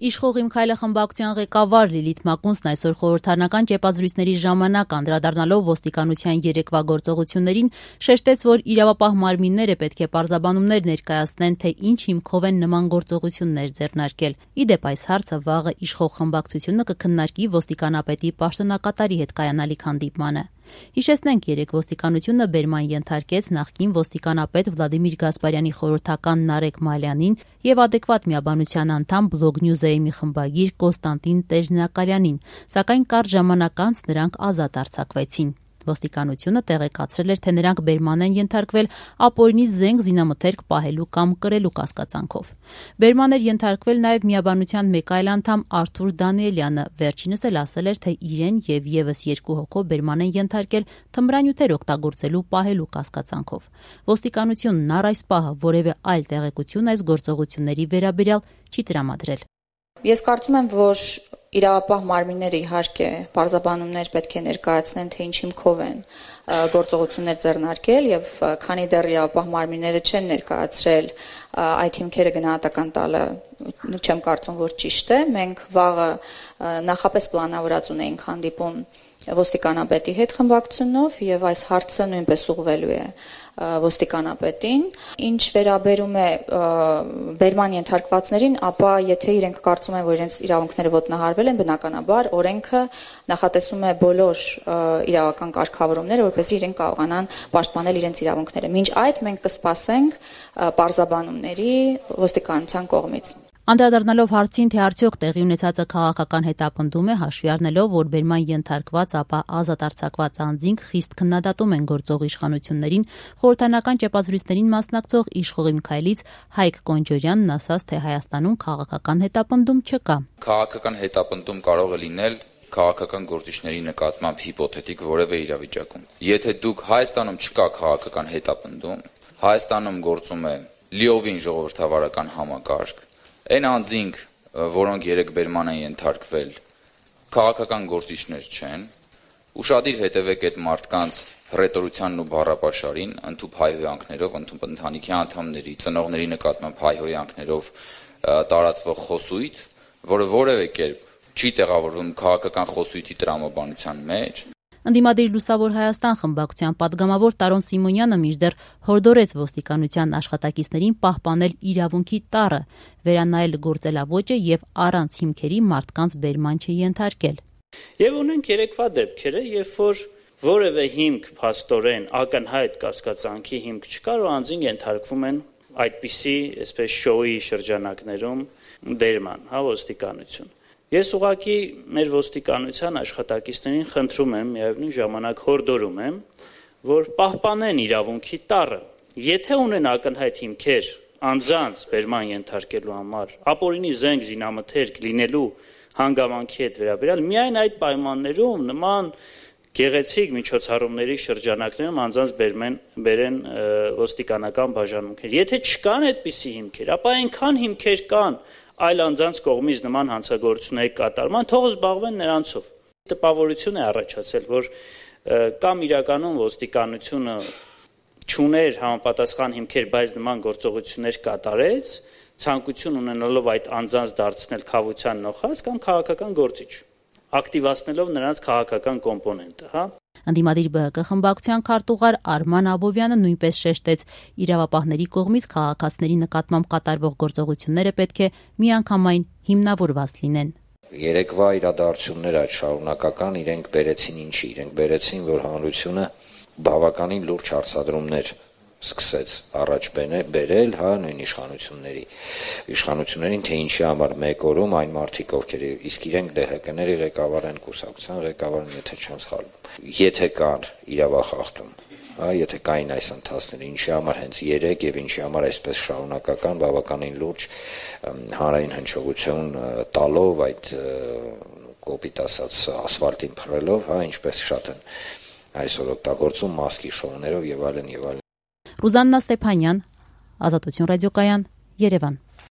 Իշխող Իմ քայլը խմբակցության ղեկավար Լիլիթ Մակունցն այսօր խորհրդարանական ճեպազրույցների ժամանակ անդրադառնալով ոստիկանության երեկվա գործողություններին շեշտեց, որ իրավապահ մարմինները պետք է պարզաբանումներ ներկայացնեն, թե ինչ հիմքով են նման գործողություններ ձեռնարկել։ Ի դեպ, այս հարցը վաղը իշխող խմբակցությունը կքննարկի ոստիկանապետի պաշտոնակատարի հետ կայանալիք հանդիպմանը։ Հիշեցնենք, երեկ ոստիկանությունը բերման ենթարկեց նախկին ոստիկանապետ Վլադիմիր Գասպարյանի խորհրդական Նարեկ Մալյանին եւ adekvat միաբանության անդամ Blog News-ի խմբագիր Կոստանտին Տերնյակալյանին, սակայն կարճ ժամանակ անց նրանք ազատ արձակվեցին։ Ոստիկանությունը տեղեկացրել էր, թե նրանք բերման են ենթարկվել ապօրինի զենք զինամթերք պահելու կամ կրելու կասկածանքով։ Բերման էր ենթարկվել նաև միաբանության մեկ այլ անդամ Արթուր Դանիելյանը, վերջինս էլ ասել էր, թե իրեն եւ եւս 2 հոգով բերման են ենթարկել թմրանյութեր օգտագործելու պահելու կասկածանքով։ Ոստիկանությունն առ այս պահը որևէ այլ տեղեկություն այս գործողությունների վերաբերյալ չի տրամադրել։ Ես կարծում եմ, որ իրավապահ մարմինները իհարկե պարզաբանումներ պետք է ներկայացնեն, թե ինչ հիմքով են գործողություններ ձեռնարկել եւ քանի դեռ իրավապահ մարմինները չեն ներկայացրել այդ հիմքերը գնահատական տալը, չեմ կարծում, որ ճիշտ է։ Մենք վաղը նախապես պլանավորած ունեինք հանդիպում ոստիկանապետի հետ խմբակցությունով եւ այս հարցը նույնպես ուղղվելու է ոստիկանապետին։ Ինչ վերաբերում է բերման ենթարկվածներին, ապա եթե իրենք կարծում են, որ իրենց իրավունքները ոտնահարվել են, բնականաբար օրենքը նախատեսում է բոլոր իրավական կարգավորումները, որպեսզի իրենք կարողանան պաշտպանել իրենց իրավունքները։ Մինչ այդ մենք կսպասենք պարզաբանումների ոստիկանության կողմից։ Անդրադառնալով հարցին, թե արդյոք տեղի ունեցածը քաղաքական հետապնդում է, հաշվի առնելով, որ բերման ենթարկված, ապա ազատ արձակված անձինք խիստ քննադատում են գործող իշխանություններին, խորհրդարանական ճեպազրույցներին մասնակցող իշխող Իմ քայլից Հայկ Կոնջորյանն ասաց, թե Հայաստանում քաղաքական հետապնդում չկա։ Քաղաքական հետապնդում կարող է լինել քաղաքական գործիչների նկատմամբ հիպոթետիկ որևէ իրավիճակում։ Եթե դուք Հայաստանում չկա քաղաքական հետապնդում, Հայաստանում գործում է լիովին ժողովրդավարական համակարգ, այն անձինք, որոնք երեք բերման են ենթարկվել, քաղաքական գործիչներ չեն, ուշադիր հետևեք այդ մարդկանց հռետորությանն ու բառապաշարին, ընդհանուր հայհոյանքներով, ընդհանուր ընտանիքի անդամների, ծնողների նկատմամբ հայհոյանքներով տարածվող խոսույթ, որը որևէ կերպ չի տեղավորվում քաղաքական խոսույթի տրամաբանության մեջ։ Ընդդիմադիր Լուսավոր Հայաստան խմբակցության պատգամավոր Տարոն Սիմոնյանը մինչդեռ հորդորեց ոստիկանության աշխատակիցներին պահպանել իրավունքի տառը, վերանայել գործելավոճը եւ առանց հիմքերի մարդկանց բերման չենթարկել։ Եվ ունենք երեկվա դեպքերը, երբ որ որևէ հիմք փաստորեն ակնհայտ կասկածանքի հիմք չկար ու անձին ենթարկվում են այդպիսի, այսպես շոուի շրջանակներում բերման, ոստիկանություն։ Ես ուղղակի մեր ոստիկանության աշխատակիցներին խնդրում եմ, միևնույն ժամանակ հորդորում եմ, որ պահպանեն իրավունքի տառը։ Եթե ունեն ակնհայտ հիմքեր անձանց բերման ենթարկելու համար, ապօրինի զենք զինամթերք լինելու հանգամանքի հետ վերաբերյալ, միայն այդ պայմաններում նման գեղեցիկ միջոցառումների շրջանակներում անձանց բերեն ոստիկանական բաժանմունքներ։ Եթե չկան այդպիսի հիմքեր, ապա այնքան հիմքեր կան այլ անձանց կողմից նման հանցագործությունների կատարման, թող զբաղվեն նրանցով։ Տպավորություն է առաջացել, որ կամ իրականում ոստիկանությունը չուներ համապատասխան հիմքեր, բայց նման գործողություններ կատարեց, ցանկություն ունենալով այդ անձանց դարձնել քավության նոխազ կամ քաղաքական գործիչ, ակտիվացնելով նրանց քաղաքական կոմպոնենտը, Ընդդիմադիր ԲՀԿ խմբակցության քարտուղար Արման Աբովյանը նույնպես շեշտեց, իրավապահների կողմից քաղաքացիների նկատմամբ կատարվող գործողությունները պետք է միանգամայն հիմնավորված լինեն։ Երեկվա իրադարձությունները այդ շարունակական իրենք բերեցին ինչի, իրենք բերեցին, որ հանրությունը բավականին լուրջ հարցադրումներ սկսեց առաջ բերել, նույն իշխանություններին, թե ինչի համար մեկ օրում այն մարդիկ, ովքեր իսկ իրենք ԴՀԿ-ների ղեկավար են, կուսակցության ղեկավարն, եթե չեմ սխալվում, եթե կար իրավախախտում, եթե կային այս ընթացները, ինչի համար հենց երեք եւ ինչի համար այսպես շարունակական բավականին լուրջ հանրային հնչողություն տալով այդ կոպիտ ասած ասֆալտին փռելով, ինչպես շատ են այսօր օգտագործում մասկի շոուներով եւ այլն եւ այլն։ Ռուզաննա Ստեփանյան, Ազատություն ռադիոկայան, Երևան։